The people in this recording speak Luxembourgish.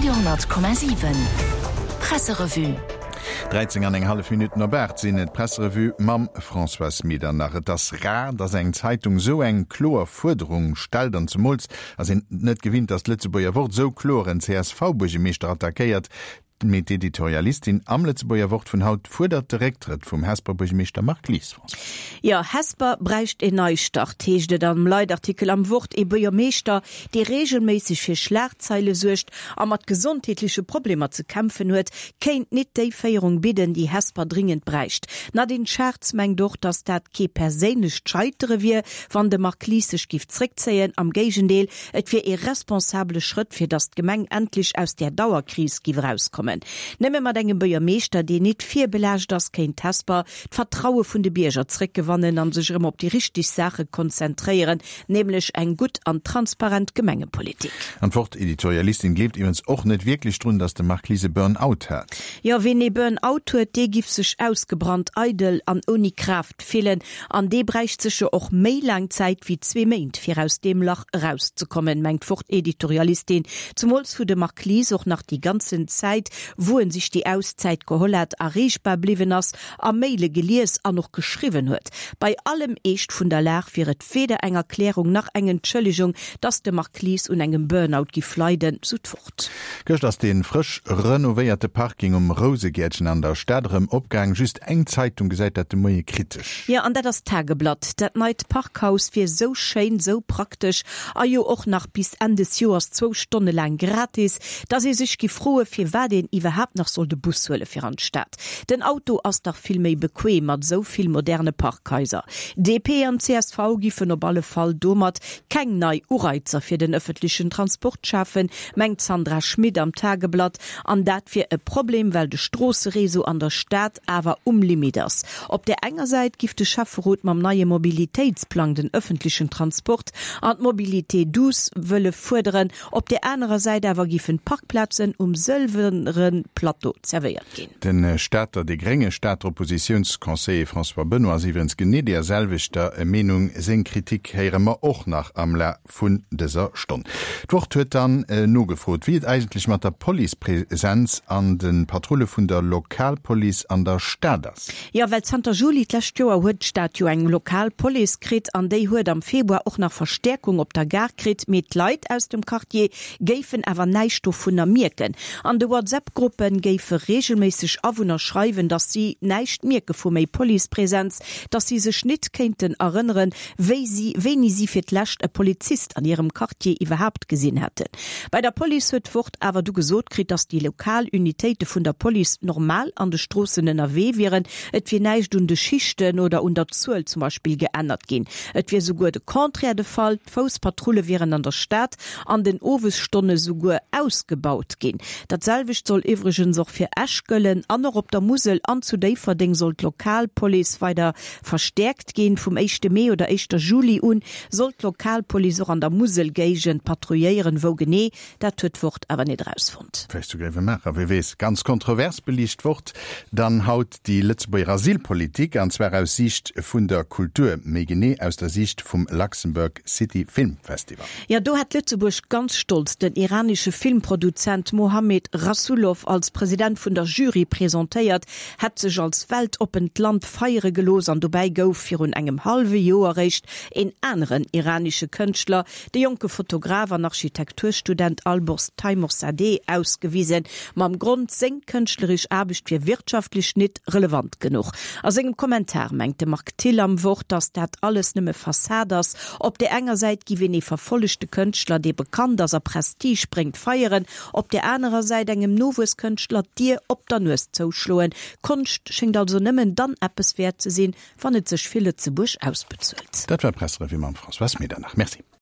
Radio 10,7 Presserevue. 13 an eng hallef Minutten op 8 sinn et. D'Presserevue mam Françoise Medernach. Et ass rar, dass eng Zeitung esou eng kloer Fuerderung stellt an zemools ass een net gewinnt, dass d'Lëtzebuerger Wort esou kloer en CSV-Buergemeeschter attackéiert. Mee d'Editorialistin am Lëtzebuerger Wort vun haut fuerdert de Récktrëtt vum Hesper Buergemeeschter Marc Lies. Françoise. Jo, Hesper bräicht een Neistart, heescht et am Leitartikel am Wort. Ee Buergermeeschter, dee reegelméisseg fir Schlagzeile suergt a mat gesondheetleche Problemer ze kämpfen huet, kéint nit déi Féierung bidden, déi Hesper dringend bräicht. D'Nadine Schartz mengt och, datt dat kee perséinlecht Scheitere wier, wann de Marc Lies sech giff zréckzéien. Am Géigendeel, Et wier ee responsabele Schrëtt, fir datt d'Gemeng endlech aus där Dauerkris giff erauskommen. Nëmme mat engem Buergermeeschter, deen nit virbelaascht ass, kéint Hesper d'Vertraue vun de Bierger zréckgewannen an sech erëm op déi richteg Saache konzentréieren, nämlech eng gutt an transparent Gemengepolitik. An d'Wort-Editorialistin gleeft iwwens och net wierklech drun, datt de Marc Lies e Burn-out hat. Jo, ween ee Burn-out huet, dee giff sech ausgebrannt, eidel an ouni Kraaft fillen. An dee bräicht sécher och méi laang Zäit wéi zwee Méint, fir aus deem Lach erauszekommen, mengt d'Wort-Editorialistin. Zemools wou de Marc Lies och nach déi ganzen Zäit, wou en sech déi Auszäit geholl hat, erreechbar bliwwen ass a Maile gelies an och geschriwwen huet. Bei allem Eescht vun der Lag wier et weder eng Erklärung nach eng Entschëllegung, datt de Marc Lies un engem Burnout giff leiden, sou d'Wort. Gëscht ass dee frësch renovéierte Parking um Rousegäertchen an der Stad erëm opgaang. Just eng Zeitung gesäit dat de Moie kritesch. Jo, an dat ass d'Tageblatt. Dat neit Parkhaus wier sou schéin, sou praktesch a jo och nach bis Enn des Joers zwou Stonne laang gratis, dass ee sech giff froe firwat een iwwerhaapt nach soll de Bus huele fir an d'Stad. Den Auto ass dach vill méi bequem mat esou vill moderne Parkhaiser. DP an csv giffen op alle Fall domat keng nei Ureizer fir den ëffentlechen Transport schafen, mengt d'Sandra Schmit am Tageblatt. An dat wier e Problem, well de Stroossereseau an der Stad awer um Limit ass. Op där enger Säit giff de Schäfferot mam neie Mobilitéitsplang den ëffentlechen Transport an d'Mobilité douce wëlle fuerderen, op där anerer Säit awer giffen d'Parkplazen um sëlwere Plateau zerwéiert ginn. De Stater, de grénge Stater Oppositiounsconseiller François Benoy ass iwwerens genee deeër selwechter Meenung. Seng Kritik héiere mer och nach am Laf vun dëser Stonn. D'Wort huet dann nogefrot, wéi et eigentlech mat der Policepresenz an de Patrulle vun der Lokalpolice an der Stad ass. Jo, well zanter Juli d'lescht Joer huet d'Stad jo eng lokal Police kritt an déi huet am Februar och nach Verstäerkung op der Gare kritt. Mee d'Leit aus dem Quartier géifen awer näischt dovunner mierken. An de WhatsApp-Gruppe géife reegelméisseg Awunner schreiwen, datt si näischt mierke vu méi Policepresenz, datt si sech nit kéinten erënneren, wéi si wéini si fir d'lescht e Polizist an hirem Quartier iwwerhaapt gesinn hätten. Bei der Police huet d'Wort awer du gesot kritt, datt déi lokal Unitéite vun der Police normal an de Stroossen ënnerwee wieren. Et wier näischt un de Schichten oder un der Zuel zum Beispill geännert ginn. Et wier souguer de Contraire de Fall, d'Fousspatrulle wieren an der Stad an den Owesstonne souguer ausgebaut ginn. Dat selwecht soll iwwregens och fir Esch gëllen. An och op der Musel an zu Déifferdeng soll d'Lokalpolice weider verstäerkt ginn. Vum éischte Mee oder éischter Juli un soll d'Lokalpolice och an der Muselgéigend patrouilléieren. Wou genee, dat huet d'Wort awer net erausfonnt. Vläicht zu Gréiwemaacher, wie weess. Ganz kontrovers beliicht d'Wort dann haut déi Lëtzebuerger Asylpolitik, an zwar aus Siicht vun der Kultur, méi genee aus der Siicht vum Luxembourg City Film Festival. Jo, do hat Lëtzebuerg ganz stolz den iranesche Filmproduzent Mohammed Rasoulof als President vun der Jury presentéiert, hätt sech als weltoppent Land feiere gelooss an dobäi gouf virun engem hallwe Joer réischt een aneren iranesche Kënschtler, de jonke Fotograf an Architekturstudent Alborz Teymoorzadeh, ausgewisen, mam Grond, seng kënschtleresch Aarbecht wier wirtschaftlech nit relevant genuch. A sengem Kommentar mengt de Marc Thill am Wort, datt dat alles nëmme Fassad ass. Op där enger Säit giff een ee verfollegte Kënschtler, dee bekannt ass a Prestige bréngt, feieren, Op där anerer Säit engem Nowuesskënschtler d'Dier op der Nues zouschloen. Konscht schéngt also nëmmen dann eppes wäert ze sinn, wann et sech fir Lëtzebuerg ausbezuelt. Dat war d'Presserevue mam Françoise Medernach. Merci.